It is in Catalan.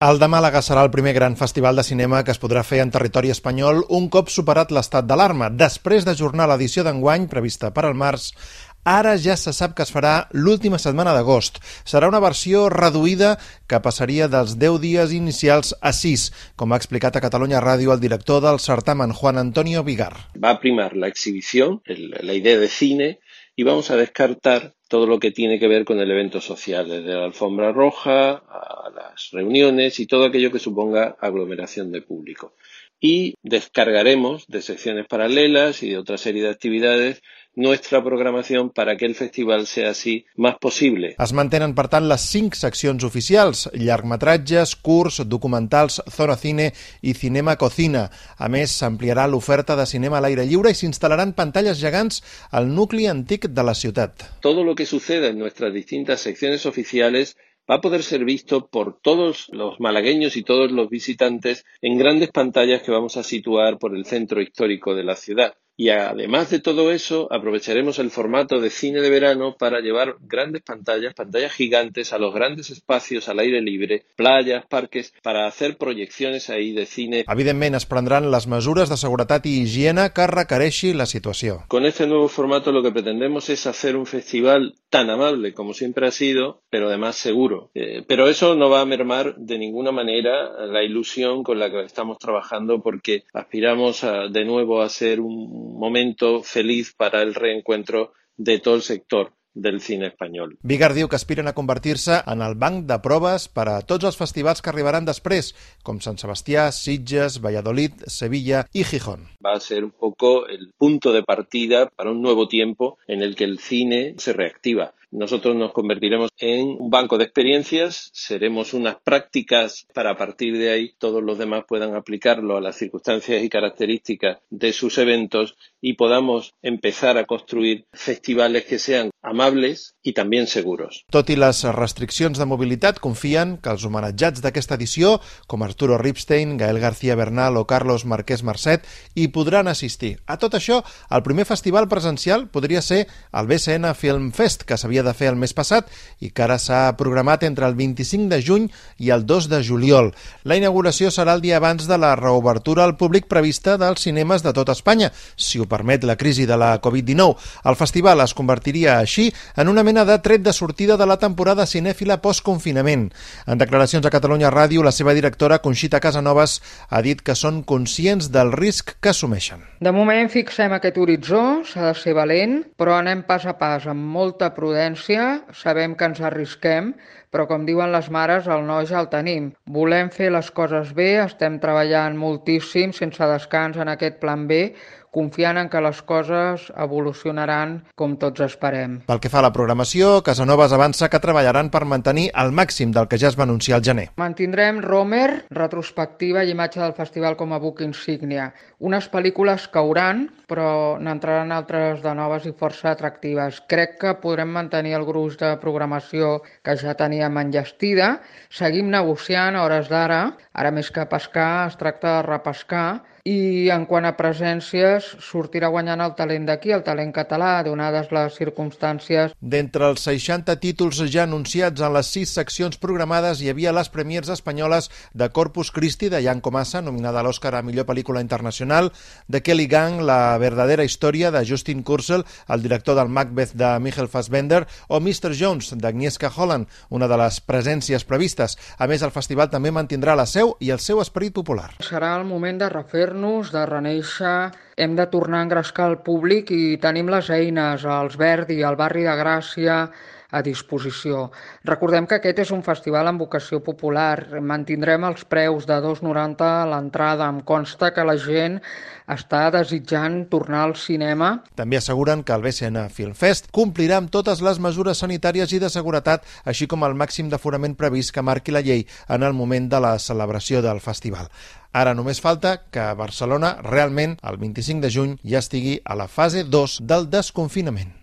El de Màlaga serà el primer gran festival de cinema que es podrà fer en territori espanyol un cop superat l'estat d'alarma. Després d'ajornar l'edició d'enguany, prevista per al març, ara ja se sap que es farà l'última setmana d'agost. Serà una versió reduïda que passaria dels 10 dies inicials a 6, com ha explicat a Catalunya Ràdio el director del certamen, Juan Antonio Vigar. Va a primar la exhibición, la idea de cine, y vamos a descartar todo lo que tiene que ver con el evento social, desde la alfombra roja a las reuniones y todo aquello que suponga aglomeración de público. Y descargaremos de secciones paralelas y de otra serie de actividades nuestra programación para que el festival sea así más possible. Es mantenen, per tant, les 5 seccions oficials: llargmetratges, curts, documentals, zona cine i cinema cocina. A més, s'ampliarà l'oferta de cinema a l'aire lliure i s'instal·laran pantalles gegants al nucli antic de la ciutat. Todo lo que suceda en nuestras distintas secciones oficiales va a poder ser visto por todos los malagueños y todos los visitantes en grandes pantallas que vamos a situar por el centro histórico de la ciudad. Y además de todo eso, aprovecharemos el formato de cine de verano para llevar grandes pantallas gigantes a los grandes espacios al aire libre, playas, parques, para hacer proyecciones ahí de cine. Evidentment, es prendran les mesures de seguretat i higiene que requereixi la situació. Con este nuevo formato lo que pretendemos es hacer un festival tan amable como siempre ha sido, pero además seguro. Pero eso no va a mermar de ninguna manera la ilusión con la que estamos trabajando, porque aspiramos de nuevo a ser un momento feliz para el reencuentro de todo el sector del cine espanyol. Vigar diu que aspiren a convertir-se en el banc de proves per a tots els festivals que arribaran després, com Sant Sebastià, Sitges, Valladolid, Sevilla y Gijón. Va a ser un poco el punto de partida para un nuevo tiempo en el que el cine se reactiva. Nosotros nos convertiremos en un banco de experiencias, seremos unas prácticas para a partir de ahí todos los demás puedan aplicarlo a las circunstancias y características de sus eventos y podamos empezar a construir festivales que sean amables i també seguros. Tot i les restriccions de mobilitat, confien que els homenatjats d'aquesta edició, com Arturo Ripstein, Gael García Bernal o Carlos Marquès Marcet, hi podran assistir. A tot això, el primer festival presencial podria ser el BCN Film Fest, que s'havia de fer el mes passat i que ara s'ha programat entre el 25 de juny i el 2 de juliol. La inauguració serà el dia abans de la reobertura al públic prevista dels cinemes de tot Espanya, si ho permet la crisi de la Covid-19. El festival es convertiria així en una mena de tret de sortida de la temporada cinèfila post-confinament. En declaracions a Catalunya Ràdio, la seva directora, Conxita Casanovas, ha dit que són conscients del risc que assumeixen. De moment fixem aquest horitzó, s'ha de ser valent, però anem pas a pas, amb molta prudència. Sabem que ens arrisquem, però com diuen les mares, el no ja el tenim. Volem fer les coses bé, estem treballant moltíssim, sense descans en aquest plan B, confiant en que les coses evolucionaran com tots esperem. Pel que fa a la programació, Casanovas avança que treballaran per mantenir el màxim del que ja es va anunciar al gener. Mantindrem Romer, retrospectiva i imatge del festival com a book insígnia. Unes pel·lícules cauran, però n'entraran altres de noves i força atractives. Crec que podrem mantenir el gruix de programació que ja teníem enllestida. Seguim negociant a hores d'ara. Ara més que pescar es tracta de repescar. I en quant a presències, sortirà guanyant el talent d'aquí, el talent català, donades les circumstàncies. D'entre els 60 títols ja anunciats en les 6 seccions programades hi havia les premiers espanyoles de Corpus Christi, de Jan Komasa, nominada a l'Oscar a millor pel·lícula internacional, de Kelly Gang, La verdadera història, de Justin Kurzel, el director del Macbeth de Michael Fassbender, o Mr. Jones, d'Agnieszka Holland, una de les presències previstes. A més, el festival també mantindrà la seu i el seu esperit popular. Serà el moment de refer-nos, de renéixer, hem de tornar a engrescar el públic i tenim les eines, els Verdi, el barri de Gràcia, a disposició. Recordem que aquest és un festival amb vocació popular. Mantindrem els preus de 2,90 a l'entrada. Em consta que la gent està desitjant tornar al cinema. També asseguren que el BCN Film Fest complirà amb totes les mesures sanitàries i de seguretat, així com el màxim d'aforament previst que marqui la llei en el moment de la celebració del festival. Ara només falta que Barcelona realment, el 25 de juny, ja estigui a la fase 2 del desconfinament.